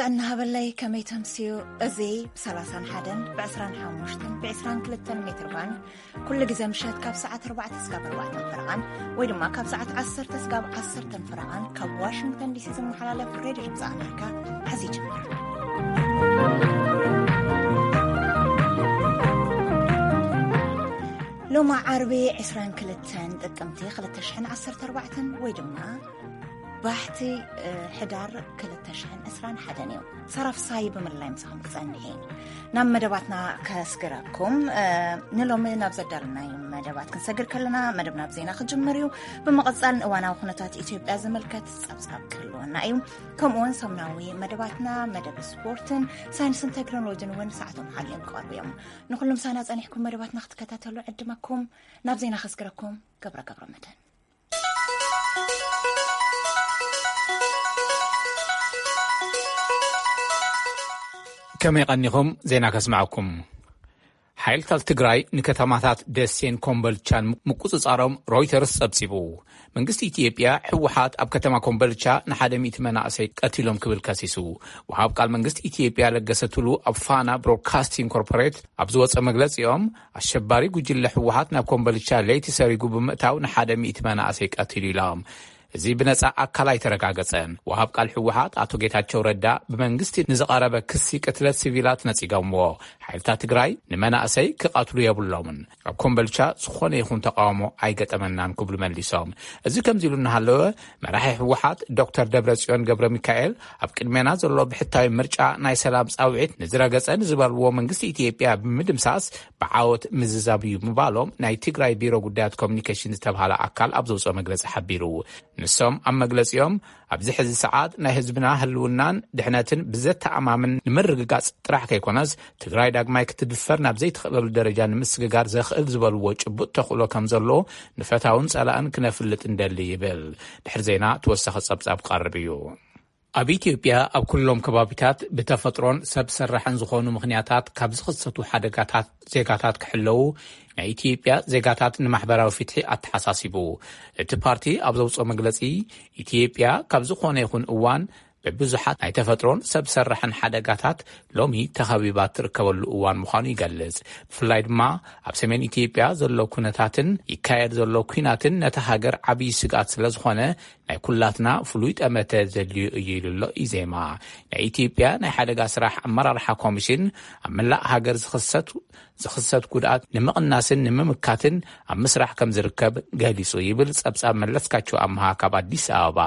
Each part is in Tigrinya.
እናሃበለይ ከመይ ተምስዩ? እዚ ብ31፣ ብ25፣ ብ22 ሜትር ባንድ ኩሉ ግዜ ምሸት ካብ ሰዓት ኣርባዕተ ስጋብ ኣርባዕተ ፈረቓን ወይ ድማ ካብ ሰዓት ዓሰርተ ስጋብ ዓሰርተ ፈረቓን ካብ ዋሽንግተን ዲሲ ዝመሓላለፍ ሬድዮ ድምፂ ኣሜሪካ ሕዚ ይጅምር። ሎማ ዓርቢ ዕስራን ክልተን ጥቅምቲ ክልተ ሽሕን ዓሰርተ ኣርባዕተን ወይ ድማ ባሕቲ፣ እ፣ ሕዳር ክልተ ሽሕን ዕስራን ሓደን እዩ። ሰራፍሳይ ብምልላይ ምሳኹም ክጸንሕ እየ። ናብ መደባትና ከስግረኩም፣ እ፣ ንሎሚ ናብ ዘዳለናዮም መደባት ክንሰግር ከለና፣ መደብ ናብ ዜና ክጅምር እዩ። ብምቕጻል ንእዋናዊ ኩነታት ኢትዮጵያ ዝምልከት ጸብጻብ ክህልወና እዩ። ከምኡውን ሰሙናዊ መደባትና፣ መደብ ስፖርትን ሳይንስን ቴክኖሎጂን እውን ሰዓቶም ሓልዮም ክቐርቡ እዮም። ንኹሉ ምሳና ጸኒሕኩም መደባትና ክትከታተሉ ዕድመኩም። ናብ ዜና ከስግረኩም ገብረ ገብረ መድህን። ከመይ ቀኒኹም? ዜና ከስምዐኩም። ሓይልታት ትግራይ ንከተማታት ደሴን ኮምቦልቻን ምቁጽጻሮም ሮይተርስ ጸብጺቡ። መንግስቲ ኢትዮጵያ፣ ህወሓት ኣብ ከተማ ኮምቦልቻ ንሓደ ሚእቲ መናእሰይ ቀቲሎም ክብል ከሲሱ። ወሃብ ቃል መንግስቲ ኢትዮጵያ ለገሰ ቱሉ ኣብ ፋና ብሮድካስቲንግ ኮርፖሬት ኣብ ዝወጸ መግለጺኦም፣ ኣሸባሪ ጉጅለ ህወሓት ናብ ኮምቦልቻ ለይቲ ሰሪጉ ብምእታው ንሓደ ሚእቲ መናእሰይ ቀቲሉ ኢሎም። እዚ ብነጻ ኣካል ኣይተረጋገጸን። ወሃብ ቃል ህወሓት ኣቶ ጌታቸው ረዳ ብመንግስቲ ንዝቐረበ ክሲ ቅትለት ሲቪላት ነጺጎምዎ። ሓይልታት ትግራይ ንመናእሰይ ክቐትሉ የብሎምን። ኣብ ኮምቦልቻ ዝኾነ ይኹን ተቃውሞ ኣይገጠመናን ክብሉ መሊሶም። እዚ ከምዚ ኢሉ እናሃለወ፣ መራሒ ህወሓት ዶክተር ደብረጽዮን ገብረ ሚካኤል ኣብ ቅድሜና ዘሎ ብሕታዊ ምርጫ ናይ ሰላም ጻውዒት ንዝረገጸ ንዝበልዎ መንግስቲ ኢትዮጵያ ብምድምሳስ ብዓወት ምዝዛብ እዩ ምባሎም ናይ ትግራይ ቢሮ ጉዳያት ኮሚኒኬሽን ዝተብሃለ ኣካል ኣብ ዘውፅኦ መግለጺ ሓቢሩ። ንሶም ኣብ መግለጺኦም፣ ኣብዚ ሕዚ ሰዓት ናይ ህዝብና ህልውናን ድሕነትን ብዘተኣማምን ንምርግጋጽ ጥራሕ ከይኮነስ፣ ትግራይ ዳግማይ ክትድፈር ናብ ዘይትኽእለሉ ደረጃ ንምስግጋር ዘኽእል ዝበልዎ ጭቡጥ ተኽእሎ ከም ዘሎ ንፈታውን ጸላእን ክነፍልጥ እንደሊ ይብል። ድሕሪ ዜና ተወሳኺ ጸብጻብ ክቐርብ እዩ። ኣብ ኢትዮጵያ ኣብ ኩሎም ከባቢታት ብተፈጥሮን ሰብ ሰራሕን ዝኾኑ ምኽንያታት ካብ ዝኽሰቱ ሓደጋታት ዜጋታት ክሕለዉ ናይ ኢትዮጵያ ዜጋታት ንማሕበራዊ ፍትሒ ኣተሓሳሲቡ። እቲ ፓርቲ ኣብ ዘውፅኦ መግለጺ፣ ኢትዮጵያ ካብ ዝኾነ ይኹን እዋን ብብዙሓት ናይ ተፈጥሮን ሰብ ሰራሕን ሓደጋታት ሎሚ ተኸቢባ ትርከበሉ እዋን ምዃኑ ይገልጽ። ብፍላይ ድማ ኣብ ሰሜን ኢትዮጵያ ዘሎ ኩነታትን ይካየድ ዘሎ ኲናትን ነታ ሃገር ዓብዪ ስግኣት ስለ ዝኾነ፣ ናይ ኩላትና ፍሉይ ጠመተ ዘድልዮ እዩ ኢሉ ኣሎ ኢዜማ። ናይ ኢትዮጵያ ናይ ሓደጋ ስራሕ ኣመራርሓ ኮሚሽን፣ ኣብ መላእ ሃገር ዝኽሰት፣ ዝኽሰት ጉድኣት ንምቕናስን ንምምካትን ኣብ ምስራሕ ከም ዝርከብ ገሊጹ ይብል ጸብጻብ መለስካቸው ኣምሃ ካብ ኣዲስ ኣበባ።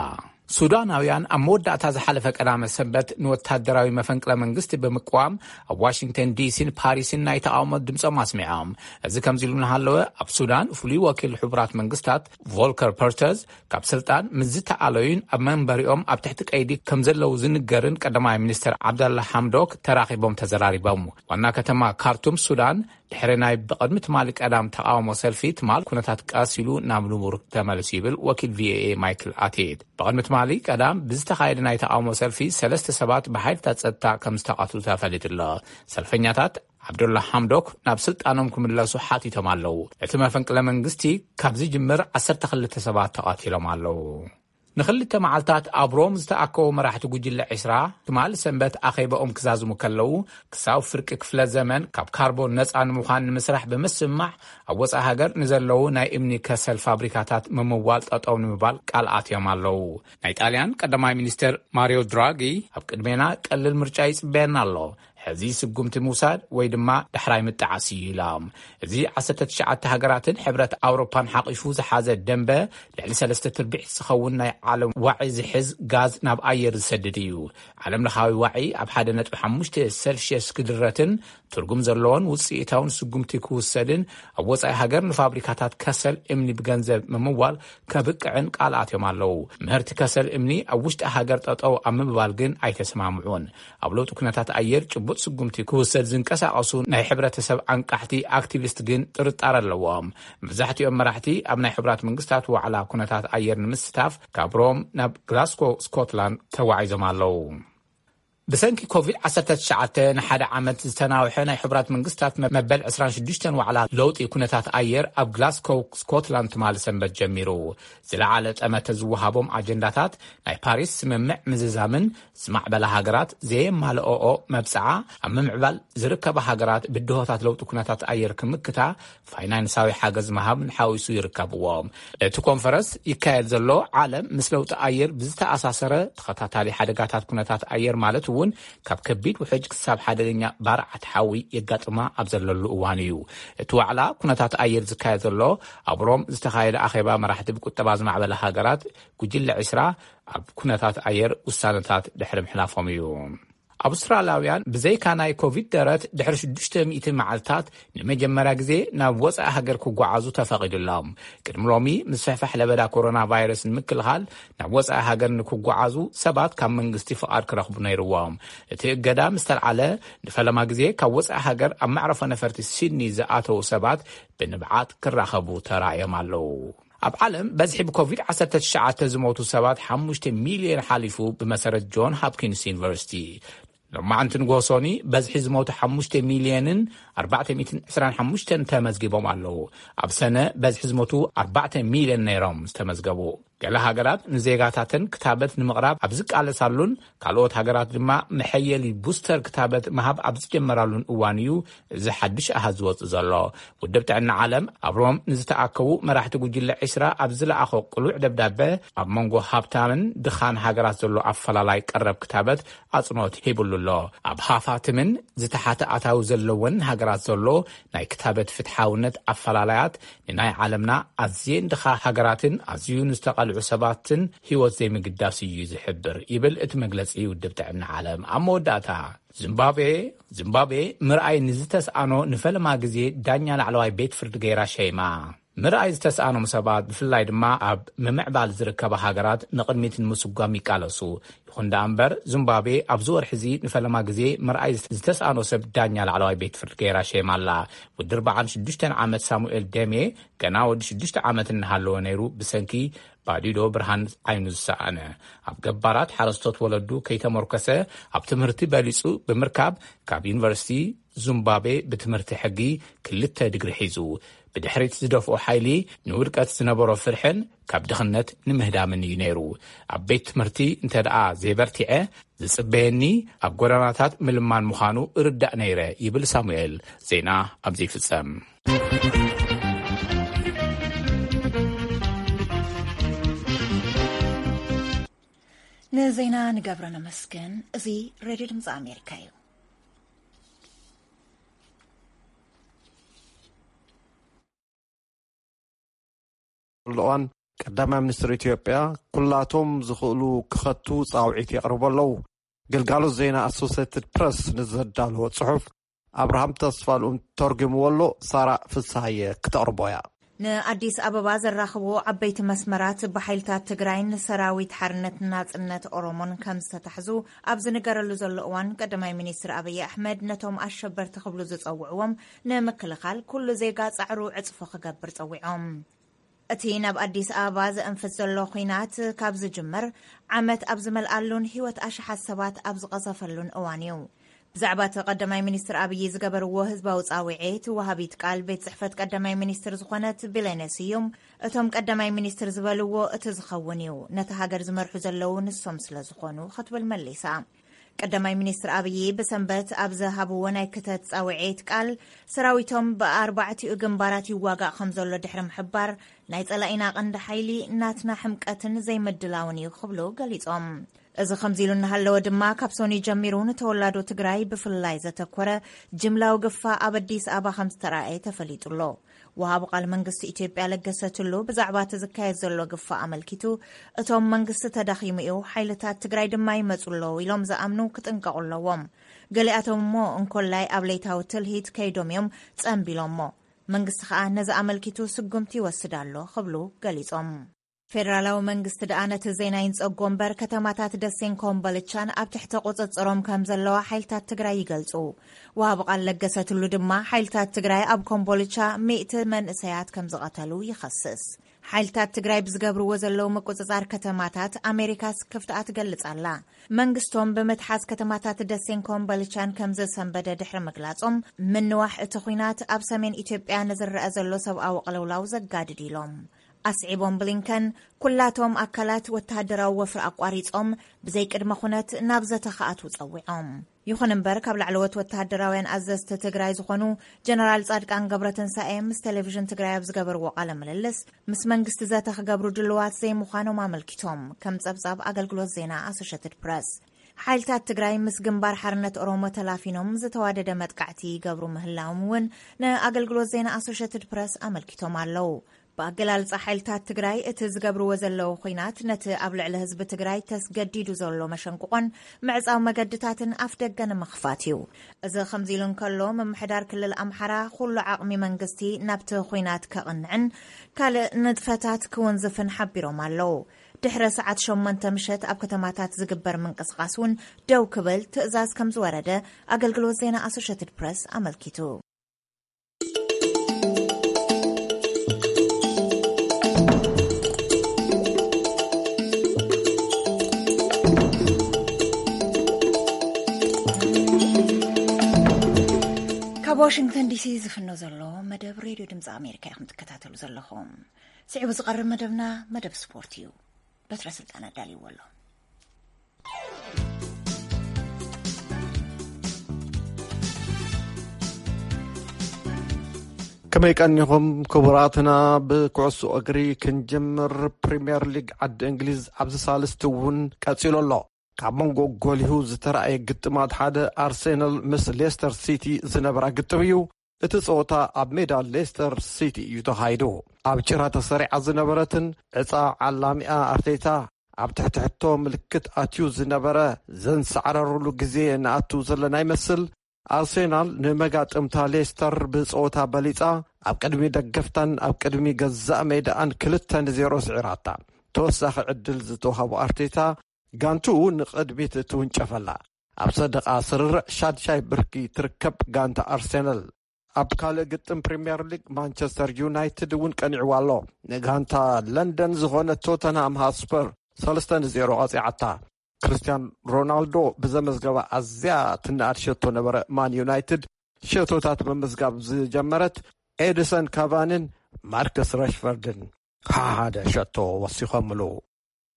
ሱዳናውያን ኣብ መወዳእታ ዝሓለፈ ቀዳመ ሰንበት ንወታደራዊ መፈንቅለ መንግስቲ ብምቅዋም ኣብ ዋሽንግተን ዲሲን ፓሪስን ናይ ተቃውሞ ድምጾም ኣስሚዖም። እዚ ከምዚ ኢሉ እናሃለወ፣ ኣብ ሱዳን ፍሉይ ወኪል ሕቡራት መንግስታት ቮልከር ፐርተዝ ካብ ስልጣን ምስ ዝተኣለዩን ኣብ መንበሪኦም ኣብ ትሕቲ ቀይዲ ከም ዘለዉ ዝንገርን ቀዳማይ ሚኒስትር ዓብደላ ሓምዶክ ተራኺቦም ተዘራሪቦም። ዋና ከተማ ካርቱም ሱዳን ድሕሪ ናይ ብቕድሚ ትማሊ ቀዳም ተቓውሞ ሰልፊ፣ ትማል ኩነታት ቀስ ኢሉ ናብ ንቡር ተመልሱ ይብል ወኪል ቪኦኤ ማይክል ኣቴት። ብቕድሚ ትማሊ ቀዳም ብዝተኻየደ ናይ ተቓውሞ ሰልፊ ሰለስተ ሰባት ብሓይልታት ጸጥታ ከም ዝተቐትሉ ተፈሊጡ ኣሎ። ሰልፈኛታት ዓብዱላ ሓምዶክ ናብ ስልጣኖም ክምለሱ ሓቲቶም ኣለዉ። እቲ መፈንቅለ መንግስቲ ካብ ዝጅምር ዓሰርተ ክልተ ሰባት ተቐቲሎም ኣለዉ። ንኽልተ መዓልታት ኣብ ሮም ዝተኣከቡ መራሕቲ ጉጅለ ዒስራ፣ ትማል ሰንበት ኣኼባኦም ክዛዝሙ ከለዉ፣ ክሳብ ፍርቂ ክፍለ ዘመን ካብ ካርቦን ነጻ ንምዃን ንምስራሕ ብምስምማዕ፣ ኣብ ወጻኢ ሃገር ንዘለዉ ናይ እምኒ ከሰል ፋብሪካታት ምምዋል ጠጠው ንምባል ቃል ኣትዮም ኣለዉ። ናይ ጣልያን ቀዳማይ ሚኒስትር ማሪዮ ድራጊ፣ ኣብ ቅድሜና ቀሊል ምርጫ ይጽበየና ኣሎ። ሕዚ ስጉምቲ ምውሳድ ወይ ድማ ዳሕራይ ምጥዓስ እዩ ኢሎም። እዚ ዓሰርተ ትሽዓተ ሃገራትን ሕብረት ኣውሮፓን ሓቒፉ ዝሓዘ ደንበ፣ ልዕሊ ሰለስተ ትርብዒት ዝኸውን ናይ ዓለም ዋዒ ዝሕዝ ጋዝ ናብ ኣየር ዝሰድድ እዩ። ዓለም ለኻዊ ዋዒ ኣብ ሓደ ነጥቢ ሓሙሽተ ሴልሽየስ ክድረትን ትርጉም ዘለዎን ውጽኢታውን ስጉምቲ ክውሰድን፣ ኣብ ወጻኢ ሃገር ንፋብሪካታት ከሰል እምኒ ብገንዘብ ምምዋል ከብቅዕን ቃል ኣትዮም ኣለዉ። ምህርቲ ከሰል እምኒ ኣብ ውሽጢ ሃገር ጠጠው ኣብ ምባል ግን ኣይተስማምዑን። ኣብ ለውጢ ኩነታት ኣየር ጭቡጥ ስጉምቲ ክውሰድ ዝንቀሳቐሱ ናይ ሕብረተሰብ ኣንቃሕቲ ኣክቲቪስት ግን ጥርጣረ ኣለዎም። መብዛሕትኦም መራሕቲ ኣብ ናይ ሕቡራት መንግስታት ዋዕላ ኩነታት ኣየር ንምስታፍ ካብ ሮም ናብ ግላስኮ ስኮትላንድ ተጓዒዞም ኣለዉ። ብሰንኪ ኮቪድ ዓሰርተ ትሽዓተ ንሓደ ዓመት ዝተናውሐ ናይ ሕቡራት መንግስታት መበል ዕስራን ሽዱሽተን ዋዕላ ለውጢ ኩነታት ኣየር ኣብ ግላስኮው ስኮትላንድ ትማሊ ሰንበት ጀሚሩ። ዝለዓለ ጠመተ ዝወሃቦም ኣጀንዳታት ናይ ፓሪስ ስምምዕ ምዝዛምን ዝማዕበላ ሃገራት ዘየማልኦኦ መብጽዓ ኣብ ምምዕባል ዝርከባ ሃገራት ብድሆታት ለውጢ ኩነታት ኣየር ክምክታ ፋይናንሳዊ ሓገዝ ምሃብ ሓዊሱ ይርከብዎም። እቲ ኮንፈረንስ ይካየድ ዘሎ ዓለም ምስ ለውጢ ኣየር ብዝተኣሳሰረ ተኸታታሊ ሓደጋታት ኩነታት ኣየር ማለት እውን ካብ ከቢድ ውሕጅ ክሳብ ሓደገኛ ባርዓት ሓዊ የጋጥማ ኣብ ዘለሉ እዋን እዩ። እቲ ዋዕላ ኩነታት ኣየር ዝካየድ ዘሎ ኣብ ሮም ዝተኻየደ ኣኼባ መራሕቲ ብቁጠባ ዝማዕበለ ሃገራት ጉጅለ ዕስራ ኣብ ኩነታት ኣየር ውሳነታት ድሕሪ ምሕላፎም እዩ። ኣውስትራልያውያን ብዘይካ ናይ ኮቪድ ደረት ድሕሪ ሽዱሽተ ሚእቲ መዓልታት ንመጀመርያ ግዜ ናብ ወጻኢ ሃገር ክጓዓዙ ተፈቒዱሎም። ቅድሚ ሎሚ ምስፍሕፋሕ ለበዳ ኮሮና ቫይረስ ንምክልኻል ናብ ወጻኢ ሃገር ንክጓዓዙ ሰባት ካብ መንግስቲ ፍቓድ ክረኽቡ ነይርዎም። እቲ እገዳ ምስ ተልዓለ ንፈለማ ግዜ ካብ ወጻኢ ሃገር ኣብ መዕረፎ ነፈርቲ ሲድኒ ዝኣተዉ ሰባት ብንብዓት ክራኸቡ ተራእዮም ኣለዉ። ኣብ ዓለም በዝሒ ብኮቪድ ዓሰርተ ትሽዓተ ዝሞቱ ሰባት ሓሙሽተ ሚልዮን ሓሊፉ ብመሰረት ጆን ሃፕኪንስ ዩኒቨርሲቲ። ሎማዕንቲ ንጎሶኒ በዝሒ ዝሞቱ ሓሙሽተ ሚልዮንን ኣርባዕተ ሚእትን ዕስራን ሓሙሽተን ተመዝጊቦም ኣለዉ። ኣብ ሰነ በዝሒ ዝሞቱ ኣርባዕተ ሚልዮን ነይሮም ዝተመዝገቡ። ገለ ሃገራት ንዜጋታተን ክታበት ንምቕራብ ኣብ ዝቃለሳሉን ካልኦት ሃገራት ድማ መሐየሊ ቡስተር ክታበት ምሃብ ኣብ ዝጀመራሉን እዋን እዩ እዚ ሓድሽ ኣሃዝ ዝወጽእ ዘሎ። ውድብ ጥዕና ዓለም ኣብ ሮም ንዝተኣከቡ መራሕቲ ጉጅለ ዕስራ ኣብ ዝለኣኾ ቅሉዕ ደብዳበ ኣብ መንጎ ሃብታምን ድኻን ሃገራት ዘሎ ኣፈላላይ ቀረብ ክታበት ኣጽንኦት ሂብሉ ኣሎ። ኣብ ሃፋትምን ዝተሓተ ኣታዊ ዘለወን ሃገራት ዘሎ ናይ ክታበት ፍትሓውነት ኣፈላላያት ንናይ ዓለምና ኣዝየን ድኻ ሃገራትን ኣዝዩ ንዝተቓልዑ ሰባትን ህይወት ዘይምግዳስ እዩ ዝሕብር ይብል እቲ መግለጺ ውድብ ጥዕና ዓለም። ኣብ መወዳእታ ዚምባብዌ፣ ዚምባብዌ ምርኣይ ንዝተስኣኖ ንፈለማ ግዜ ዳኛ ላዕለዋይ ቤት ፍርዲ ገይራ ሸይማ። ምርኣይ ዝተስኣኖም ሰባት ብፍላይ ድማ ኣብ ምምዕባል ዝርከባ ሃገራት ንቕድሚት ንምስጓም ይቃለሱ። ይኹን ደኣ እምበር ዚምባብዌ ኣብዚ ወርሒ እዚ ንፈለማ ግዜ ምርኣይ ዝተስኣኖ ሰብ ዳኛ ላዕለዋይ ቤት ፍርዲ ገይራ ሸይማ ኣላ። ወዲ ኣርባዓን ሽዱሽተን ዓመት ሳሙኤል ደሜ ገና ወዲ ሽዱሽተ ዓመት እናሃለወ ነይሩ ብሰንኪ ባዲዶ ብርሃን ዓይኑ ዝሰኣነ። ኣብ ገባራት ሓረስቶት ወለዱ ከይተመርኮሰ ኣብ ትምህርቲ በሊጹ ብምርካብ ካብ ዩኒቨርሲቲ ዙምባቤ ብትምህርቲ ሕጊ ክልተ ዲግሪ ሒዙ። ብድሕሪት ዝደፍኦ ሓይሊ ንውድቀት ዝነበሮ ፍርሕን ካብ ድኽነት ንምህዳምን እዩ ነይሩ። ኣብ ቤት ትምህርቲ እንተ ደኣ ዘይበርቲዐ ዝጽበየኒ ኣብ ጎደናታት ምልማን ምዃኑ እርዳእ ነይረ ይብል ሳሙኤል። ዜና ኣብዚ ይፍጸም። ንዜና ንገብረ ነመስገን። እዚ ሬድዮ ድምፂ ኣሜሪካ እዩ። እዋን ቀዳማይ ሚኒስትር ኢትዮጵያ ኩላቶም ዝኽእሉ ክኸቱ ጻውዒት የቕርቡ ኣለዉ። ግልጋሎት ዜና ኣሶሴትድ ፕረስ ንዘዳለዎ ጽሑፍ ኣብርሃም ተስፋልኡም ተርጉምዎ ኣሎ። ሳራ ፍስሃየ ክተቕርቦ እያ። ንኣዲስ ኣበባ ዘራኽቡ ዓበይቲ መስመራት ብሓይልታት ትግራይን ሰራዊት ሓርነት ናጽነት ኦሮሞን ከም ዝተታሕዙ ኣብ ዝንገረሉ ዘሎ እዋን፣ ቀዳማይ ሚኒስትር ኣብይ ኣሕመድ ነቶም ኣሸበርቲ ክብሉ ዝጸውዕዎም ንምክልኻል ኩሉ ዜጋ ጻዕሩ ዕጽፎ ክገብር ጸዊዖም። እቲ ናብ ኣዲስ ኣበባ ዘእንፍት ዘሎ ኲናት ካብ ዝጅመር ዓመት ኣብ ዝመልኣሉን ህይወት ኣሽሓት ሰባት ኣብ ዝቐዘፈሉን እዋን እዩ። ብዛዕባ እቲ ቀዳማይ ሚኒስትር ኣብይ ዝገበርዎ ህዝባዊ ጻውዒት ወሃቢት ቃል ቤት ጽሕፈት ቀዳማይ ሚኒስትር ዝኾነት ቢሌነ ስዩም፣ እቶም ቀዳማይ ሚኒስትር ዝበልዎ እቲ ዝኸውን እዩ፣ ነታ ሃገር ዝመርሑ ዘለዉ ንሶም ስለ ዝኾኑ ክትብል መሊሳ። ቀዳማይ ሚኒስትር ኣብይ ብሰንበት ኣብ ዝሃብዎ ናይ ክተት ጻውዒት ቃል፣ ሰራዊቶም ብኣርባዕቲኡ ግንባራት ይዋጋእ ከም ዘሎ ድሕሪ ምሕባር፣ ናይ ጸላኢና ቀንዲ ሓይሊ ናትና ሕምቀትን ዘይምድላውን እዩ ክብሉ ገሊጾም። እዚ ከምዚ ኢሉ እናሃለወ ድማ፣ ካብ ሶኒ ጀሚሩ ንተወላዶ ትግራይ ብፍላይ ዘተኮረ ጅምላዊ ግፋ ኣብ ኣዲስ ኣበባ ከም ዝተራእየ ተፈሊጡ ኣሎ። ወሃቢ ቃል መንግስቲ ኢትዮጵያ ለገሰ ቱሉ ብዛዕባ እቲ ዝካየድ ዘሎ ግፋ ኣመልኪቱ፣ እቶም መንግስቲ ተዳኺሙ እዩ፣ ሓይልታት ትግራይ ድማ ይመጹ ኣለዉ ኢሎም ዝኣምኑ ክጥንቀቑ ኣለዎም። ገሊኣቶም እሞ እንኮላይ ኣብ ለይታዊ ትልሂት ከይዶም እዮም ጸንቢሎሞ። መንግስቲ ከኣ ነዚ ኣመልኪቱ ስጉምቲ ይወስድ ኣሎ ክብሉ ገሊጾም። ፌደራላዊ መንግስቲ ደኣ ነቲ ዜና ይንጸጎ እምበር፣ ከተማታት ደሴን ኮምቦልቻን ኣብ ትሕቲ ቁጽጽሮም ከም ዘለዋ ሓይልታት ትግራይ ይገልጹ። ወሃቢ ቃል ለገሰ ቱሉ ድማ፣ ሓይልታት ትግራይ ኣብ ኮምቦልቻ ሚእቲ መንእሰያት ከም ዝቐተሉ ይኸስስ። ሓይልታት ትግራይ ብዝገብርዎ ዘለዉ ምቁጽጻር ከተማታት ኣሜሪካ ስክፍትኣ ትገልጽ ኣላ። መንግስቶም ብምትሓዝ ከተማታት ደሴን ኮምቦልቻን ከም ዘሰንበደ ድሕሪ ምግላጾም፣ ምንዋሕ እቲ ኲናት ኣብ ሰሜን ኢትዮጵያ ንዝረአ ዘሎ ሰብኣዊ ቅልውላው ዘጋድድ ኢሎም። ኣስዒቦም ብሊንከን፣ ኩላቶም ኣካላት ወተሃደራዊ ወፍሪ ኣቋሪጾም ብዘይቅድመ ኩነት ናብ ዘተ ክኣትዉ ጸዊዖም። ይኹን እምበር፣ ካብ ላዕለዎት ወተሃደራውያን ኣዘዝቲ ትግራይ ዝኾኑ ጀነራል ጻድቃን ገብረትንሳኤ ምስ ቴሌቪዥን ትግራይ ኣብ ዝገበርዎ ቃለ ምልልስ፣ ምስ መንግስቲ ዘተ ክገብሩ ድልዋት ዘይምዃኖም ኣመልኪቶም፣ ከም ጸብጻብ ኣገልግሎት ዜና ኣሶሸትድ ፕረስ። ሓይልታት ትግራይ ምስ ግንባር ሓርነት ኦሮሞ ተላፊኖም ዝተዋደደ መጥቃዕቲ ይገብሩ ምህላዎም እውን ንኣገልግሎት ዜና ኣሶሸትድ ፕረስ ኣመልኪቶም ኣለዉ። ብኣገላልጻ ሓይልታት ትግራይ፣ እቲ ዝገብርዎ ዘለዉ ኹናት ነቲ ኣብ ልዕሊ ህዝቢ ትግራይ ተስገዲዱ ዘሎ መሸንቁቖን ምዕጻው መገድታትን ኣፍ ደገ ንምኽፋት እዩ። እዚ ከምዚ ኢሉ እንከሎ፣ ምምሕዳር ክልል ኣምሓራ ኩሉ ዓቕሚ መንግስቲ ናብቲ ኹናት ከቕንዕን ካልእ ንጥፈታት ክውንዝፍን ሓቢሮም ኣለዉ። ድሕሪ ሰዓት ሸሞንተ ምሸት ኣብ ከተማታት ዝግበር ምንቅስቓስ እውን ደው ክብል ትእዛዝ ከም ዝወረደ ኣገልግሎት ዜና ኣሶሸትድ ፕረስ ኣመልኪቱ። ካብ ዋሽንግተን ዲሲ ዝፍኖ ዘሎ መደብ ሬድዮ ድምፂ ኣሜሪካ ኢኹም ትከታተሉ ዘለኹም። ስዒቡ ዝቐርብ መደብና መደብ ስፖርት እዩ። በትረ ስልጣን ኣዳልይዎ ኣሎ። ከመይ ቀኒኹም ክቡራትና? ብኩዕሶ እግሪ ክንጅምር። ፕሪምየር ሊግ ዓዲ እንግሊዝ ኣብዚ ሳልስቲ እውን ቀጺሉ ኣሎ። ካብ መንጎ ጎሊሁ ዝተራእየ ግጥማት ሓደ ኣርሴናል ምስ ሌስተር ሲቲ ዝነበራ ግጥም እዩ። እቲ ጸወታ ኣብ ሜዳ ሌስተር ሲቲ እዩ ተኻይዱ። ኣብ ጭራ ተሰሪዓ ዝነበረትን ዕጻ ዓላሚኣ ኣርቴታ ኣብ ትሕቲ ሕቶ ምልክት ኣትዩ ዝነበረ፣ ዘንሰዓረሩሉ ግዜ ንኣቱ ዘለና ይመስል። ኣርሴናል ንመጋጥምታ ሌስተር ብጸወታ በሊጻ፣ ኣብ ቅድሚ ደገፍታን ኣብ ቅድሚ ገዛእ ሜዳኣን ክልተ ንዜሮ ስዒራታ። ተወሳኺ ዕድል ዝተዋህቦ ኣርቴታ፣ ጋንትኡ ንቕድሚት ትውንጨፈላ። ኣብ ሰደቓ ስርርዕ ሻድሻይ ብርኪ ትርከብ ጋንታ ኣርሴናል። ኣብ ካልእ ግጥም ፕሪምየር ሊግ፣ ማንቸስተር ዩናይትድ እውን ቀኒዕዋ ኣሎ። ንጋንታ ለንደን ዝኾነ ቶተንሃም ሃስፐር ሰለስተ ንዜሮ ቀጺዓታ። ክርስቲያን ሮናልዶ ብዘመዝገባ ኣዝያ ትነኣድ ሸቶ ነበረ ማን ዩናይትድ ሸቶታት ምምዝጋብ ዝጀመረት። ኤድሰን ካቫንን ማርከስ ረሽፈርድን ሓደ ሸቶ ወሲኾምሉ።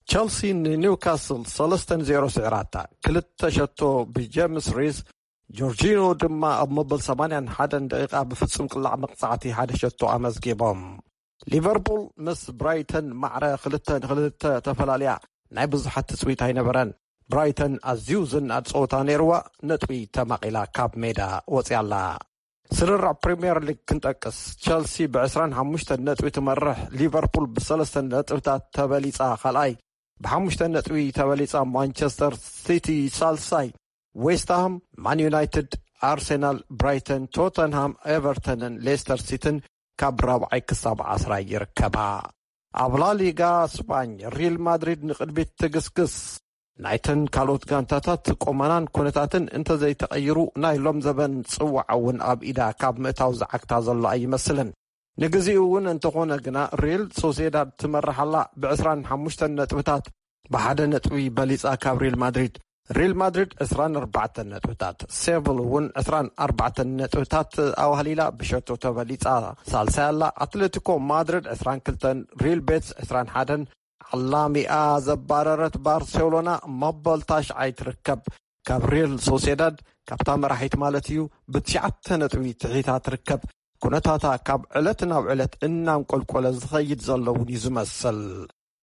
ቸልሲ ንኒውካስል ሰለስተ ንዜሮ ስዒራታ። ክልተ ሸቶ ብጀምስ ሪስ፣ ጆርጂኖ ድማ ኣብ መበል ሰማንያን ሓደን ደቂቓ ብፍጹም ቅላዕ መቕጻዕቲ ሓደ ሸቶ ኣመዝጊቦም። ሊቨርፑል ምስ ብራይተን ማዕረ ክልተ ንክልተ ተፈላልያ ናይ ብዙሓት ትጽቢት ኣይነበረን። ብራይተን ኣዝዩ ዝንኣድ ጸወታ ነይርዋ፣ ነጥቢ ተማቒላ ካብ ሜዳ ወጽያ ኣላ። ስርርዕ ፕሪምየር ሊግ ክንጠቅስ፣ ቸልሲ ብ ዕስራን ሓሙሽተን ነጥቢ ትመርሕ፣ ሊቨርፑል ብሰለስተ ነጥብታት ተበሊጻ ካልኣይ፣ ብሓሙሽተ ነጥቢ ተበሊጻ ማንቸስተር ሲቲ ሳልሳይ፣ ዌስትሃም፣ ማን ዩናይትድ፣ ኣርሴናል፣ ብራይተን፣ ቶተንሃም፣ ኤቨርተንን ሌስተር ሲቲን ካብ ራብዓይ ክሳብ ዓስራይ ይርከባ። ኣብ ላሊጋ ስፓኝ ሪል ማድሪድ ንቕድሚት ትግስግስ። ናይተን ካልኦት ጋንታታት ቁመናን ኩነታትን እንተዘይተቐይሩ፣ ናይ ሎም ዘበን ጽዋዕ እውን ኣብ ኢዳ ካብ ምእታው ዝዓግታ ዘሎ ኣይመስልን። ንግዚኡ እውን እንተኾነ ግና፣ ሪል ሶሴዳድ ትመርሓላ ብ ዕስራን ሓሙሽተን ነጥብታት፣ ብሓደ ነጥቢ በሊጻ ካብ ሪል ማድሪድ። ሪል ማድሪድ ዕስራን ኣርባዕተን ነጥብታት፣ ሴቪል እውን ዕስራን ኣርባዕተን ነጥብታት ኣዋህሊላ ብሸቶ ተበሊጻ ሳልሳይ ኣላ። ኣትሌቲኮ ማድሪድ ዕስራን ክልተን፣ ሪል ቤትስ ዕስራን ሓደን፣ ዓላሚኣ ዘባረረት ባርሴሎና መበል ታሽዓይ ትርከብ። ካብ ሪል ሶሴዳድ፣ ካብታ መራሒት ማለት እዩ፣ ብትሽዓተ ነጥቢ ትሒታ ትርከብ። ኩነታታ ካብ ዕለት ናብ ዕለት እናንቆልቆለ ዝኸይድ ዘሎ እውን እዩ ዝመስል።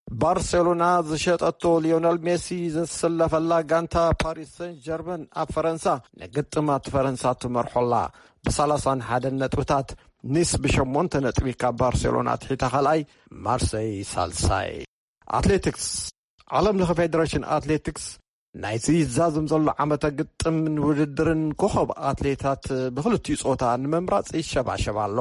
ባርሴሎና ዝሸጠቶ ሊዮነል ሜሲ ዝስለፈላ ጋንታ ፓሪስ ሰን ጀርመን ኣብ ፈረንሳ ንግጥማት ፈረንሳ ትመርሖላ ብሰላሳን ሓደን ነጥብታት። ኒስ ብሸሞንተ ነጥቢ ካብ ባርሴሎና ትሒታ ካልኣይ፣ ማርሰይ ሳልሳይ። ኣትሌቲክስ። ዓለም ለኸ ፌደሬሽን ኣትሌቲክስ ናይዚ ይዛዘም ዘሎ ዓመተ ግጥምን ውድድርን ኮኸብ ኣትሌታት ብኽልቲኡ ጾታ ንምምራጽ ይሸባሸብ ኣሎ።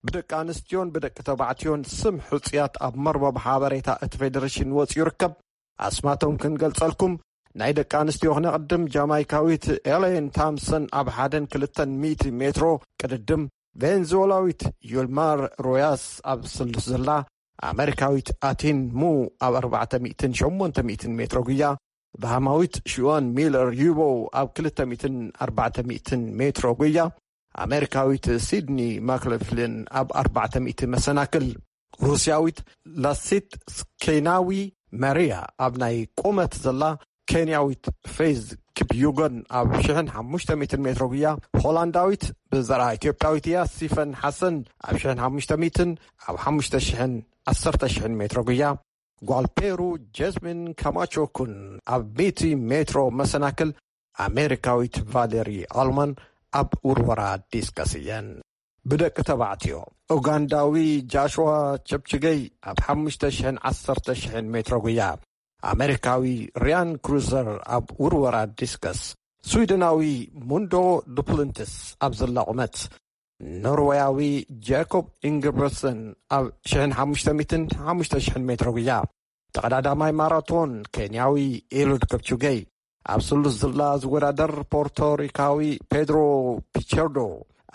ብደቂ ኣንስትዮን ብደቂ ተባዕትዮን ስም ሕጹያት ኣብ መርበብ ሓበሬታ እቲ ፌደሬሽን ወጺኡ ይርከብ። ኣስማቶም ክንገልጸልኩም፣ ናይ ደቂ ኣንስትዮ ክነቕድም፣ ጃማይካዊት ኤሌን ታምሰን ኣብ ሓደን ክልተን ሚእቲ ሜትሮ ቅድድም፣ ቬንዙዌላዊት ዩልማር ሮያስ ኣብ ስሉስ ዝላ፣ ኣመሪካዊት ኣቲን ሙ ኣብ ኣርባዕተ ሚእትን ሸሞንተ ሚእትን ሜትሮ ጉያ፣ ባሃማዊት ሽዋን ሚለር ዩቦ ኣብ ክልተ ሚእትን ኣርባዕተ ሚእትን ሜትሮ ጉያ፣ ኣመሪካዊት ሲድኒ ማክለፍሊን ኣብ ኣርባዕተ ሚእቲ መሰናክል፣ ሩስያዊት ላሲት ኬናዊ መርያ ኣብ ናይ ቁመት ዘላ፣ ኬንያዊት ፌዝ ኪፕዩጎን ኣብ ሽሕን ሓሙሽተ ሚእትን ሜትሮ ጉያ፣ ሆላንዳዊት ብዘርኣ ኢትዮጵያዊት እያ፣ ሲፈን ሓሰን ኣብ ሽሕን ሓሙሽተ ሚእትን ኣብ ሓሙሽተ ሽሕን ዓሰርተ ሽሕን ሜትሮ ጉያ፣ ጓል ፔሩ ጀስሚን ካማቾ ኩን ኣብ ሚእቲ ሜትሮ መሰናክል፣ ኣሜሪካዊት ቫሌሪ ኣልማን ኣብ ውርወራ ዲስከስ እየን። ብደቂ ተባዕትዮ፣ ኡጋንዳዊ ጃሽዋ ቸፕችገይ ኣብ ሓሙሽተ ሽሕን ዓሰርተ ሽሕን ሜትሮ ጉያ፣ ኣሜሪካዊ ሪያን ክሩዘር ኣብ ውርወራ ዲስከስ፣ ስዊድናዊ ሙንዶ ዱፕሉንትስ ኣብ ዝላ ቁመት፣ ኖርወያዊ ጃኮብ ኢንግብረሰን ኣብ ሽሕን ሓሙሽተ ሚእትን ሓሙሽተ ሽሕን ሜትሮ ጉያ፣ ተቐዳዳማይ ማራቶን ኬንያዊ ኤሉድ ከፕቹገይ፣ ኣብ ስሉስ ዝላ ዝወዳደር ፖርቶሪካዊ ፔድሮ ፒቸርዶ፣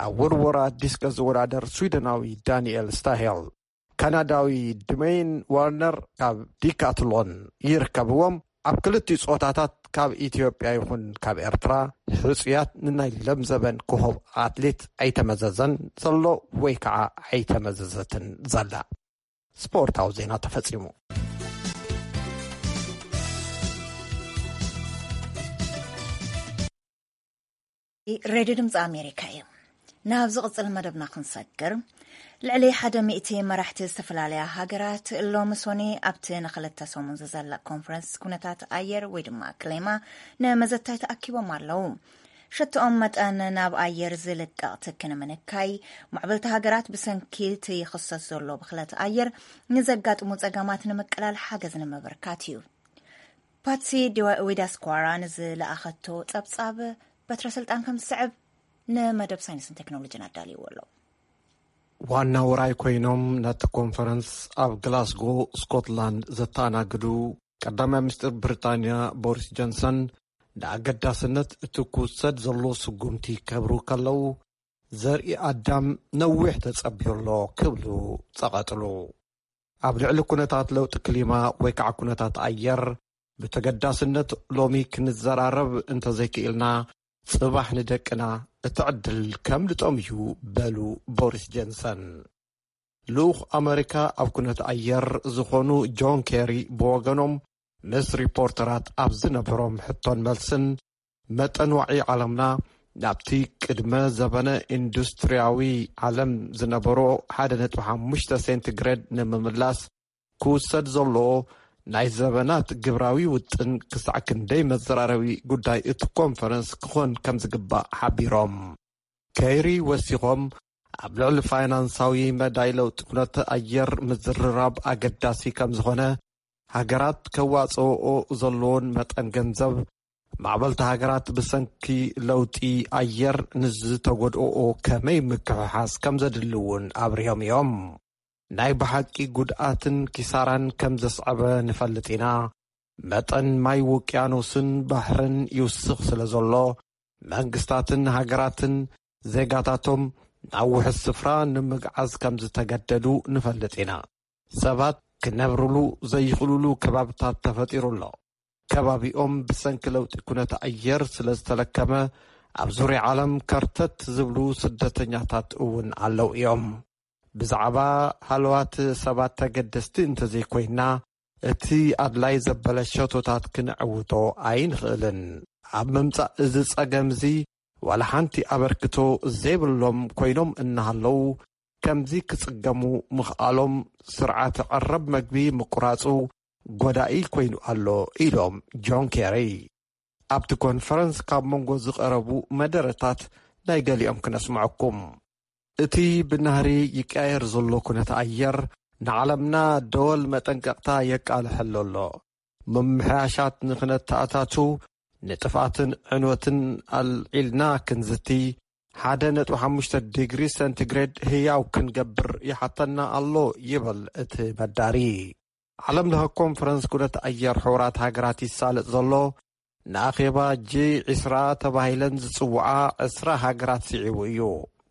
ኣብ ውርወራ ዲስከስ ዝወዳደር ስዊደናዊ ዳንኤል ስታሄል፣ ካናዳዊ ድሜይን ዋርነር ካብ ዲካትሎን ይርከብዎም። ኣብ ክልቲኡ ጾታታት ካብ ኢትዮጵያ ይኹን ካብ ኤርትራ ሕጹያት ንናይ ለምዘበን ኮኸብ ኣትሌት ኣይተመዘዘን ዘሎ ወይ ከዓ ኣይተመዘዘትን ዘላ። ስፖርታዊ ዜና ተፈጺሙ። ሬድዮ ድምፂ ኣሜሪካ እዩ። ናብ ዝቕፅል መደብና ክንሰግር፣ ልዕሊ ሓደ ሚእቲ መራሕቲ ዝተፈላለያ ሃገራት ሎሚ ሶኒ ኣብቲ ንክልተ ሰሙን ዝዘለቕ ኮንፈረንስ ኩነታት ኣየር ወይ ድማ ክሌማ ንመዘታይ ተኣኪቦም ኣለዉ። ሸትኦም መጠን ናብ ኣየር ዝልቀቕ ትኪ ንምንካይ፣ ማዕበልቲ ሃገራት ብሰንኪ እቲ ይኽሰት ዘሎ ብኽለት ኣየር ንዘጋጥሙ ጸገማት ንምቅላል ሓገዝ ንምብርካት እዩ። ፓትሲ ዲዋ- ዊዳስኳራ ንዝለኣኸቶ ጸብጻብ በትረ ስልጣን ከም ዝስዕብ ንመደብ ሳይንስን ቴክኖሎጂን ኣዳልይዎ ኣሎ። ዋና ውራይ ኮይኖም ነቲ ኮንፈረንስ ኣብ ግላስጎ ስኮትላንድ ዘተኣናግዱ ቀዳማይ ሚኒስትር ብሪጣንያ ቦሪስ ጆንሰን፣ ንኣገዳስነት እቲ ክውሰድ ዘሎ ስጉምቲ ከብሩ ከለዉ፣ ዘርኢ ኣዳም ነዊሕ ተጸብዮ ኣሎ ክብሉ ጸቐጥሉ። ኣብ ልዕሊ ኩነታት ለውጢ ክሊማ ወይ ከዓ ኩነታት ኣየር ብተገዳስነት ሎሚ ክንዘራረብ እንተዘይክኢልና፣ ጽባሕ ንደቅና እቲ ዕድል ከምልጦም እዩ፣ በሉ ቦሪስ ጀንሰን። ልኡኽ ኣመሪካ ኣብ ኩነት ኣየር ዝኾኑ ጆን ኬሪ ብወገኖም፣ ምስ ሪፖርተራት ኣብ ዝነበሮም ሕቶን መልስን፣ መጠን ዋዒ ዓለምና ናብቲ ቅድመ ዘበነ ኢንዱስትሪያዊ ዓለም ዝነበሮ ሓደ ነጥቢ ሓሙሽተ ሴንቲግሬድ ንምምላስ ክውሰድ ዘሎ ናይ ዘበናት ግብራዊ ውጥን ክሳዕ ክንደይ መዘራረቢ ጉዳይ እቲ ኮንፈረንስ ክኾን ከም ዝግባእ ሓቢሮም። ኬሪ ወሲኾም፣ ኣብ ልዕሊ ፋይናንሳዊ መዳይ ለውጢ ኩነተ ኣየር ምዝርራብ ኣገዳሲ ከም ዝኾነ፣ ሃገራት ከዋጽኦኦ ዘለዎን መጠን ገንዘብ፣ ማዕበልቲ ሃገራት ብሰንኪ ለውጢ ኣየር ንዝተጎድኦኦ ከመይ ምክሕሓስ ከም ዘድሊ እውን ኣብሪሆም እዮም። ናይ ብሓቂ ጉድኣትን ኪሳራን ከም ዘስዐበ ንፈልጥ ኢና። መጠን ማይ ውቅያኖስን ባሕርን ይውስኽ ስለ ዘሎ፣ መንግስታትን ሃገራትን ዜጋታቶም ናብ ውሑስ ስፍራ ንምግዓዝ ከም ዝተገደዱ ንፈልጥ ኢና። ሰባት ክነብርሉ ዘይኽእሉሉ ከባብታት ተፈጢሩ ኣሎ። ከባቢኦም ብሰንኪ ለውጢ ኩነተ ኣየር ስለ ዝተለከመ፣ ኣብ ዙርያ ዓለም ከርተት ዝብሉ ስደተኛታት እውን ኣለዉ እዮም። ብዛዕባ ሃለዋት ሰባት ተገደስቲ እንተዘይኮይና፣ እቲ ኣድላይ ዘበለ ሸቶታት ክንዕውቶ ኣይንኽእልን። ኣብ ምምጻእ እዚ ጸገም እዚ ዋላ ሓንቲ ኣበርክቶ ዘይብሎም ኮይኖም እናሃለዉ፣ ከምዚ ክጽገሙ ምኽኣሎም ስርዓተ ቀረብ መግቢ ምቁራጹ ጎዳኢ ኮይኑ ኣሎ፣ ኢሎም ጆን ኬሪ። ኣብቲ ኮንፈረንስ ካብ መንጎ ዝቐረቡ መደረታት ናይ ገሊኦም ክነስምዐኩም። እቲ ብናህሪ ይቀያየር ዘሎ ኩነተ ኣየር ንዓለምና ደወል መጠንቀቕታ የቃልሐሉ ኣሎ። ምምሕያሻት ንኽነተኣታቱ ንጥፍኣትን ዕንወትን ኣልዒልና ክንዝቲ፣ ሓደ ነጥቢ ሓሙሽተ ዲግሪ ሴንቲግሬድ ህያው ክንገብር ይሓተና ኣሎ፣ ይብል እቲ በዳሪ። ዓለም ለኸ ኮንፈረንስ ኩነተ ኣየር ሕቡራት ሃገራት ይሳለጥ ዘሎ፣ ንኣኼባ ጂ ዒስራ ተባሂለን ዝጽውዓ ዕስራ ሃገራት ስዒቡ እዩ።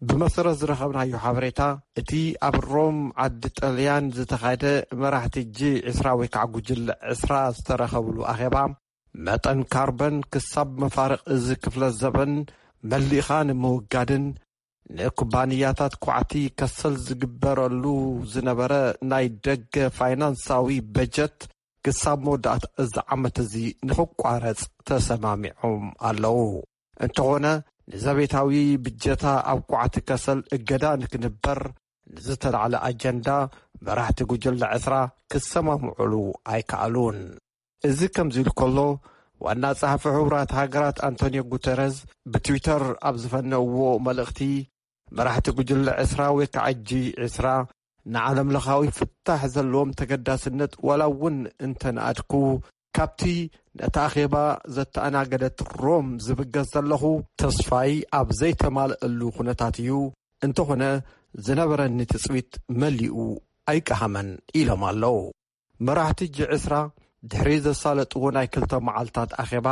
ብመሰረት ዝረኸብናዮ ሓበሬታ፣ እቲ ኣብ ሮም ዓዲ ጣልያን ዝተኻየደ መራሕቲ ጂ ዕስራ ወይ ከዓ ጉጅለ ዕስራ ዝተረኸብሉ ኣኼባ፣ መጠን ካርበን ክሳብ መፋርቕ እዚ ክፍለ ዘበን መሊእኻ ንምውጋድን ንኩባንያታት ኳዕቲ ከሰል ዝግበረሉ ዝነበረ ናይ ደገ ፋይናንሳዊ በጀት ክሳብ መወዳእታ እዚ ዓመት እዚ ንኽቋረጽ ተሰማሚዖም ኣለዉ። እንተኾነ፣ ንዘቤታዊ ብጀታ ኣብ ኳዕቲ ከሰል እገዳ ንክንበር ንዝተላዕለ ኣጀንዳ መራሕቲ ጉጅለ ዕስራ ክሰማምዑሉ ኣይከኣሉን። እዚ ከምዚ ኢሉ ከሎ፣ ዋና ጸሓፊ ሕቡራት ሃገራት ኣንቶኒዮ ጉተረዝ ብትዊተር ኣብ ዝፈነውዎ መልእኽቲ፣ መራሕቲ ጉጅለ ዕስራ ወይ ከዓ ጂ ዕስራ ንዓለም ለኻዊ ፍታሕ ዘለዎም ተገዳስነት ዋላ እውን እንተነኣድኩ፣ ካብቲ ነታ ኣኼባ ዘተኣናገደት ሮም ዝብገስ ዘለኹ፣ ተስፋይ ኣብ ዘይተማልአሉ ኩነታት እዩ። እንተኾነ፣ ዝነበረኒ ትጽቢት መሊኡ ኣይቀሃመን ኢሎም ኣለዉ። መራሕቲ ጂ ዕስራ ድሕሪ ዘሳለጥዎ ናይ ክልተ መዓልታት ኣኼባ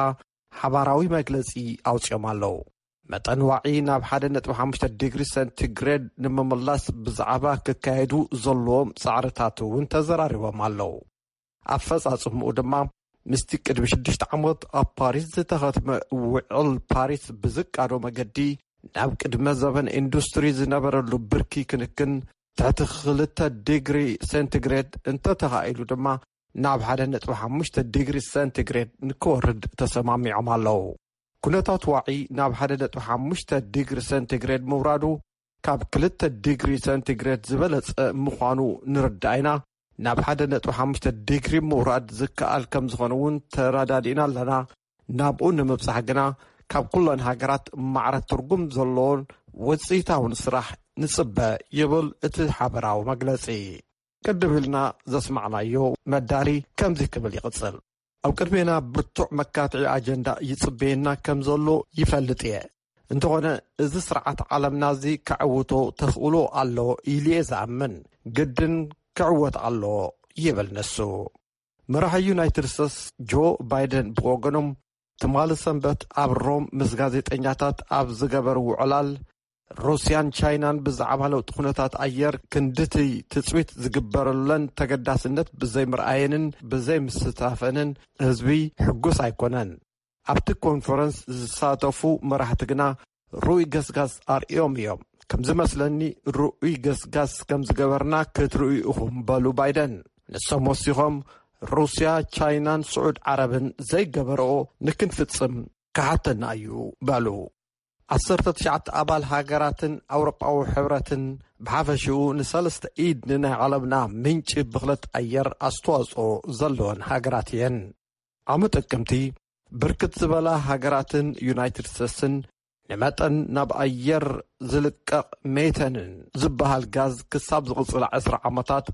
ሓባራዊ መግለጺ ኣውጺኦም ኣለዉ። መጠን ዋዒ ናብ ሓደ ነጥቢ ሓሙሽተ ዲግሪ ሰንቲግሬድ ንምምላስ ብዛዕባ ክካየዱ ዘለዎም ጻዕርታት እውን ተዘራሪቦም ኣለዉ። ኣፈጻጽምኡ ድማ ምስቲ ቅድሚ ሽዱሽተ ዓመት ኣብ ፓሪስ ዝተኸትመ ውዕል ፓሪስ ብዝቃዶ መገዲ ናብ ቅድመ ዘበን ኢንዱስትሪ ዝነበረሉ ብርኪ ክንክን ትሕቲ ክልተ ዲግሪ ሴንቲግሬድ እንተተኻኢሉ ድማ ናብ ሓደ ነጥቢ ሓሙሽተ ዲግሪ ሴንቲግሬድ ንክወርድ ተሰማሚዖም ኣለዉ። ኩነታት ዋዒ ናብ ሓደ ነጥቢ ሓሙሽተ ዲግሪ ሴንቲግሬድ ምውራዱ ካብ ክልተ ዲግሪ ሴንቲግሬድ ዝበለጸ ምዃኑ ንርዳእ ኢና። ናብ ሓደ ነጥቢ ሓሙሽተ ዲግሪ ምውራድ ዝከኣል ከም ዝኾነ እውን ተረዳዲእና ኣለና። ናብኡ ንምብጻሕ ግና ካብ ኩለን ሃገራት ማዕረ ትርጉም ዘለዎን ውጽኢታውን ስራሕ ንጽበ ይብል እቲ ሓበራዊ መግለጺ። ቅድም ኢልና ዘስማዕናዮ መዳሪ ከምዚ ክብል ይቕጽል። ኣብ ቅድሜና ብርቱዕ መካትዒ ኣጀንዳ ይጽበየና ከም ዘሎ ይፈልጥ እየ። እንተኾነ፣ እዚ ስርዓት ዓለምና እዚ ከዕውቶ ተኽእሎ ኣሎ ኢሉ እየ ዝኣምን። ግድን ክዕወት ኣለዎ ይብል ንሱ። መራሒ ዩናይትድ ስቴትስ ጆ ባይደን ብወገኖም፣ ትማሊ ሰንበት ኣብ ሮም ምስ ጋዜጠኛታት ኣብ ዝገበርዎ ዕላል፣ ሩስያን ቻይናን ብዛዕባ ለውጢ ኩነታት ኣየር ክንድቲ ትጽቢት ዝግበረለን ተገዳስነት ብዘይምርኣየንን ብዘይምስታፈንን ህዝቢ ሕጉስ ኣይኮነን። ኣብቲ ኮንፈረንስ ዝሳተፉ መራሕቲ ግና ርኡይ ገስጋስ ኣርእዮም እዮም። ከም ዝመስለኒ፣ ርኡይ ገስጋስ ከም ዝገበርና ክትርእዩ ኢኹም፣ በሉ ባይደን። ንሶም ወሲኾም፣ ሩስያ፣ ቻይናን ስዑድ ዓረብን ዘይገበርኦ ንክንፍጽም ክሓተና እዩ፣ በሉ። ዓሰርተ ትሽዓተ ኣባል ሃገራትን ኣውሮጳዊ ሕብረትን ብሓፈሽኡ ንሰለስተ ኢድ ንናይ ዓለምና ምንጪ ብኽለት ኣየር ኣስተዋጽኦ ዘለወን ሃገራት እየን። ዓመት ጥቅምቲ ብርክት ዝበላ ሃገራትን ዩናይትድ ስቴትስን ንመጠን ናብ ኣየር ዝልቀቕ ሜተንን ዝበሃል ጋዝ ክሳብ ዝቕጽላ ዕስራ ዓመታት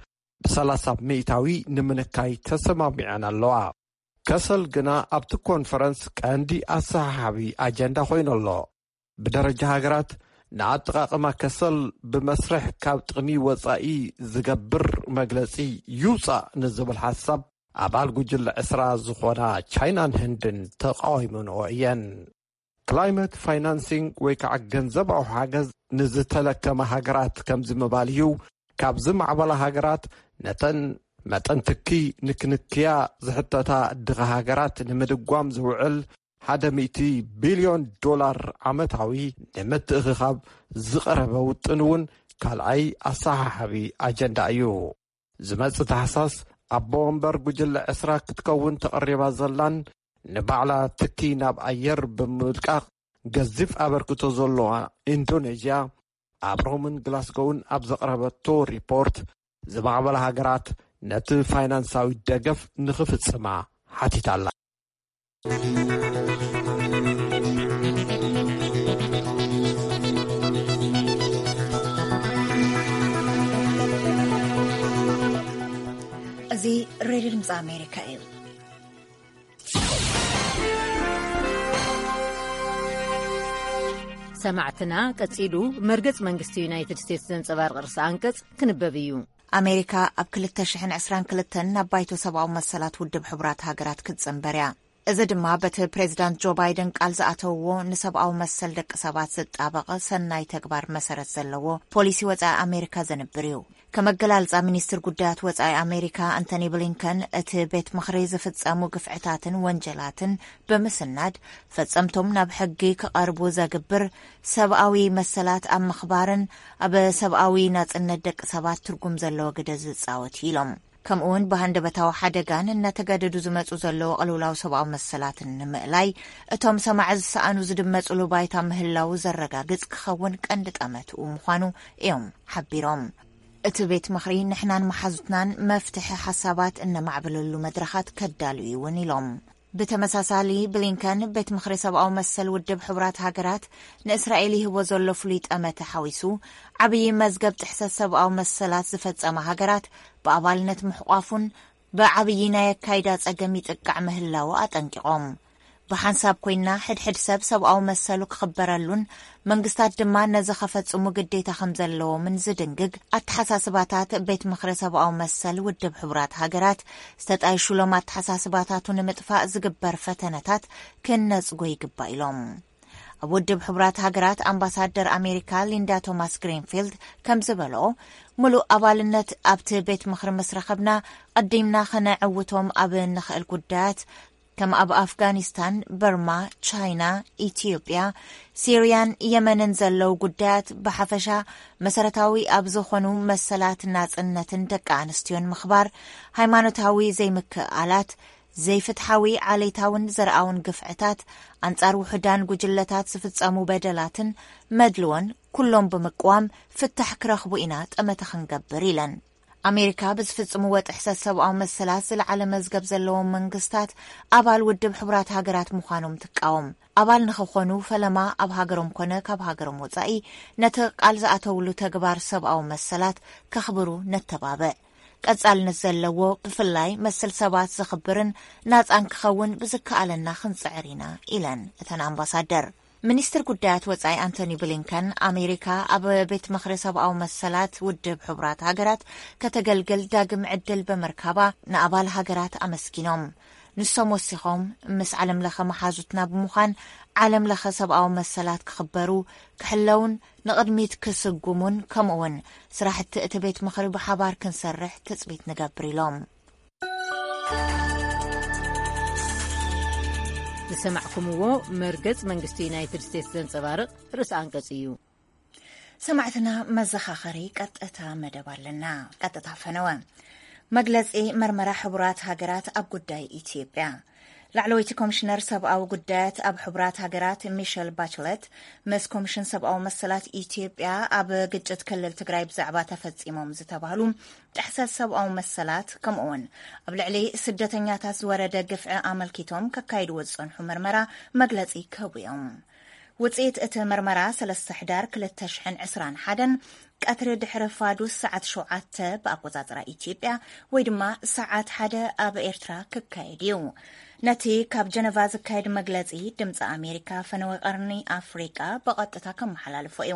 ብሰላሳ ሚእታዊ ንምንካይ ተሰማሚዐን ኣለዋ። ከሰል ግና ኣብቲ ኮንፈረንስ ቀንዲ ኣሰሓሓቢ ኣጀንዳ ኮይኑ ኣሎ። ብደረጃ ሃገራት ንኣጠቓቕማ ከሰል ብመስርሕ ካብ ጥቕሚ ወጻኢ ዝገብር መግለጺ ይውጻእ ንዝብል ሓሳብ ኣባል ጉጅለ ዕስራ ዝኾና ቻይናን ህንድን ተቃዊመንኦ እየን። ክላይመት ፋይናንሲንግ ወይ ከዓ ገንዘባዊ ሓገዝ ንዝተለከማ ሃገራት ከምዚ ምባል እዩ። ካብ ዝማዕበላ ሃገራት ነተን መጠን ትኪ ንክንክያ ዝሕተታ ድኻ ሃገራት ንምድጓም ዝውዕል ሓደ ሚእቲ ቢልዮን ዶላር ዓመታዊ ንምትእኽኻብ ዝቐረበ ውጥን እውን ካልኣይ ኣሰሓሓቢ ኣጀንዳ እዩ። ዝመጽእ ታሕሳስ ኣቦ ወንበር ጉጅለ ዕስራ ክትከውን ተቐሪባ ዘላን ንባዕላ ትኪ ናብ ኣየር ብምልቃቕ ገዚፍ ኣበርክቶ ዘለዋ ኢንዶኔዥያ ኣብ ሮምን ግላስጎውን ኣብ ዘቕረበቶ ሪፖርት ዝማዕበላ ሃገራት ነቲ ፋይናንሳዊ ደገፍ ንኽፍጽማ ሓቲታ ኣላ። እዚ ሬድዮ ድምፂ ኣሜሪካ እዩ። ሰማዕትና፣ ቀጺሉ መርገጽ መንግስቲ ዩናይትድ ስቴትስ ዘንጸባርቕ ርእሰ ኣንቀጽ ክንበብ እዩ። ኣሜሪካ ኣብ ክልተ ሽሕን ዕስራን ክልተን ናብ ባይቶ ሰብኣዊ መሰላት ውድብ ሕቡራት ሃገራት ክትጽንበር እያ። እዚ ድማ በቲ ፕሬዚዳንት ጆ ባይደን ቃል ዝኣተውዎ ንሰብኣዊ መሰል ደቂ ሰባት ዝጣበቕ ሰናይ ተግባር መሰረት ዘለዎ ፖሊሲ ወጻኢ ኣሜሪካ ዘንብር እዩ። ከመገላልጻ ሚኒስትር ጉዳያት ወጻኢ ኣሜሪካ ኣንቶኒ ብሊንከን፣ እቲ ቤት ምኽሪ ዝፍጸሙ ግፍዕታትን ወንጀላትን ብምስናድ ፈጸምቶም ናብ ሕጊ ክቐርቡ ዘግብር ሰብኣዊ መሰላት ኣብ ምኽባርን ኣብ ሰብኣዊ ናጽነት ደቂ ሰባት ትርጉም ዘለዎ ግደ ዝጻወት እዩ ኢሎም። ከምኡ እውን ብሃንደበታዊ ሓደጋን እናተጋደዱ ዝመጹ ዘለዉ ቅልውላው ሰብኣዊ መሰላትን ንምእላይ እቶም ሰማዒ ዝሰኣኑ ዝድመጹሉ ባይታ ምህላው ዘረጋግጽ ክኸውን ቀንዲ ጠመትኡ ምዃኑ እዮም ሓቢሮም። እቲ ቤት ምኽሪ ንሕናን መሓዙትናን መፍትሒ ሓሳባት እነማዕብለሉ መድረኻት ከዳሉ እዩ እውን ኢሎም። ብተመሳሳሊ ብሊንከን ቤት ምኽሪ ሰብኣዊ መሰል ውድብ ሕቡራት ሃገራት ንእስራኤል ይህቦ ዘሎ ፍሉይ ጠመተ ሓዊሱ ዓብዪ መዝገብ ጥሕሰት ሰብኣዊ መሰላት ዝፈጸማ ሃገራት ብኣባልነት ምሕቋፉን ብዓብዪ ናይ ኣካይዳ ጸገም ይጥቃዕ ምህላው ኣጠንቂቖም። ብሓንሳብ ኮይና ሕድሕድ ሰብ ሰብኣዊ መሰሉ ክኽበረሉን መንግስታት ድማ ነዚ ከፈጽሙ ግዴታ ከም ዘለዎምን ዝድንግግ ኣተሓሳስባታት ቤት ምኽሪ ሰብኣዊ መሰል ውድብ ሕቡራት ሃገራት ዝተጣይሹሎም ኣተሓሳስባታቱ ንምጥፋእ ዝግበር ፈተነታት ክነጽጎ ይግባእ ኢሎም። ኣብ ውድብ ሕቡራት ሃገራት ኣምባሳደር ኣሜሪካ ሊንዳ ቶማስ ግሪንፊልድ ከም ዝበሎ፣ ምሉእ ኣባልነት ኣብቲ ቤት ምኽሪ ምስ ረኸብና ቀዲምና ከነዕውቶም ኣብ እንኽእል ጉዳያት ከም ኣብ ኣፍጋኒስታን፣ በርማ፣ ቻይና፣ ኢትዮጵያ፣ ሲርያን የመንን ዘለዉ ጉዳያት ብሓፈሻ መሰረታዊ ኣብ ዝኾኑ መሰላት ናጽነትን ደቂ ኣንስትዮን ምኽባር፣ ሃይማኖታዊ ዘይምክእኣላት፣ ዘይፍትሓዊ ዓሌታውን ዘርኣውን ግፍዕታት፣ ኣንጻር ውሑዳን ጉጅለታት ዝፍጸሙ በደላትን መድልዎን ኩሎም ብምቅዋም ፍታሕ ክረኽቡ ኢና ጠመተ ክንገብር ኢለን። ኣሜሪካ ብዝፍጽምዎ ጥሕሰት ሰብኣዊ መሰላት ዝለዓለ መዝገብ ዘለዎም መንግስታት ኣባል ውድብ ሕቡራት ሃገራት ምዃኖም ትቃወም። ኣባል ንኽኾኑ ፈለማ ኣብ ሃገሮም ኮነ ካብ ሃገሮም ወጻኢ ነቲ ቃል ዝኣተውሉ ተግባር ሰብኣዊ መሰላት ከኽብሩ ነተባብዕ። ቀጻልነት ዘለዎ ብፍላይ መሰል ሰባት ዘኽብርን ናጻን ክኸውን ብዝከኣለና ክንጽዕር ኢና ኢለን እተን ኣምባሳደር። ሚኒስትር ጉዳያት ወጻኢ ኣንቶኒ ብሊንከን ኣሜሪካ ኣብ ቤት ምኽሪ ሰብኣዊ መሰላት ውድብ ሕቡራት ሃገራት ከተገልግል ዳግም ዕድል ብምርካባ ንኣባል ሃገራት ኣመስጊኖም። ንሶም ወሲኾም፣ ምስ ዓለም ለኸ መሓዙትና ብምዃን ዓለም ለኸ ሰብኣዊ መሰላት ክኽበሩ፣ ክሕለውን ንቕድሚት ክስጉሙን ከምኡውን ስራሕቲ እቲ ቤት ምኽሪ ብሓባር ክንሰርሕ ትጽቢት ንገብር ኢሎም። ዝሰማዕኩምዎ መርገጽ መንግስቲ ዩናይትድ ስቴትስ ዘንጸባርቕ ርእሲ ኣንቀጽ እዩ። ሰማዕትና መዘኻኸሪ ቀጥታ መደብ ኣለና። ቀጥታ ፈነወ። መግለጺ መርመራ ሕቡራት ሃገራት ኣብ ጉዳይ ኢትዮጵያ። ላዕለወይቲ ኮሚሽነር ሰብኣዊ ጉዳያት ኣብ ሕቡራት ሃገራት ሚሸል ባችለት ምስ ኮሚሽን ሰብኣዊ መሰላት ኢትዮጵያ ኣብ ግጭት ክልል ትግራይ ብዛዕባ ተፈጺሞም ዝተባህሉ ጥሕሰት ሰብኣዊ መሰላት ከምኡውን ኣብ ልዕሊ ስደተኛታት ዝወረደ ግፍዒ ኣመልኪቶም ከካይድዎ ዝጸንሑ መርመራ መግለጺ ክህቡ እዮም። ውጽኢት እቲ መርመራ ሰለስተ ሕዳር ክልተ ሽሕን ዕስራን ሓደን ቀትሪ ድሕሪ ፋዱስ ሰዓት ሸውዓተ ብኣቆጻጽራ ኢትዮጵያ ወይ ድማ ሰዓት ሓደ ኣብ ኤርትራ ክካየድ እዩ። ነቲ ካብ ጀነቫ ዝካየድ መግለጺ ድምጺ ኣሜሪካ ፈነወ ቀርኒ ኣፍሪቃ ብቐጥታ ከመሓላልፎ እዩ።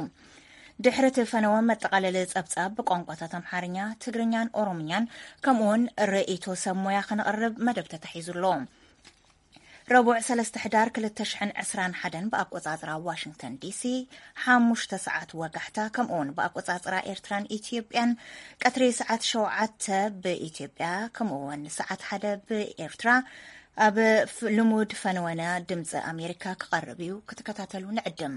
ድሕሪ እቲ ፈነወ መጠቓለሊ ጸብጻብ ብቋንቋታት ኣምሓርኛ፣ ትግርኛን ኦሮምኛን ከምኡውን ርእይቶ ሰብ ሞያ ከነቕርብ መደብ ተታሒዙ ኣሎ። ረቡዕ ሰለስተ ሕዳር ክልተ ሽሕን ዕስራን ሓደን ብኣቆጻጽራ ዋሽንግተን ዲሲ፣ ሓሙሽተ ሰዓት ወጋሕታ ከምኡውን ብኣቆጻጽራ ኤርትራን ኢትዮጵያን ቀትሪ ሰዓት ሸውዓተ ብኢትዮጵያ ከምኡውን ሰዓት ሓደ ብኤርትራ ኣብ ልሙድ ፈነወና ድምፂ ኣሜሪካ ክቐርብ እዩ። ክትከታተሉ ንዕድም።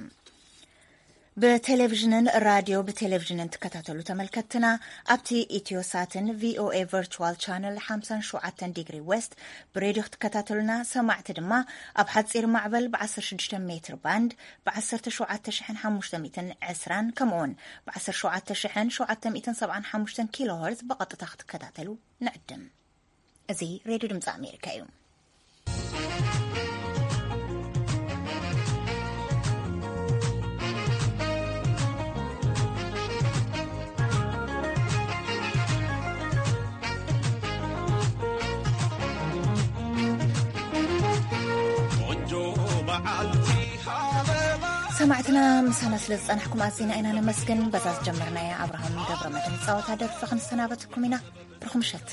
ብቴሌቪዥንን ራድዮ ብቴሌቪዥንን ትከታተሉ ተመልከትና ኣብቲ ኢትዮሳትን ቪኦኤ ቨርቹዋል ቻነል ሓምሳን ሸውዓተን ዲግሪ ዌስት ብሬድዮ ክትከታተሉና፣ ሰማዕቲ ድማ ኣብ ሓፂር ማዕበል ብ16 ሜትር ባንድ ብ17720 ከምኡውን ብ17775 ኪሎ ሄርዝ ብቐጥታ ክትከታተሉ ንዕድም። እዚ ሬድዮ ድምፂ ኣሜሪካ እዩ። ሰማዕትና ምሳና ስለ ዝጸናሕኩም ኣዚና ኢና ነመስግን። በዛ ዝጀመርናያ ኣብርሃም ገብረ መድህን ጸወታ ደርፊ ክንሰናበትኩም ኢና። ብሩኽ ምሸት።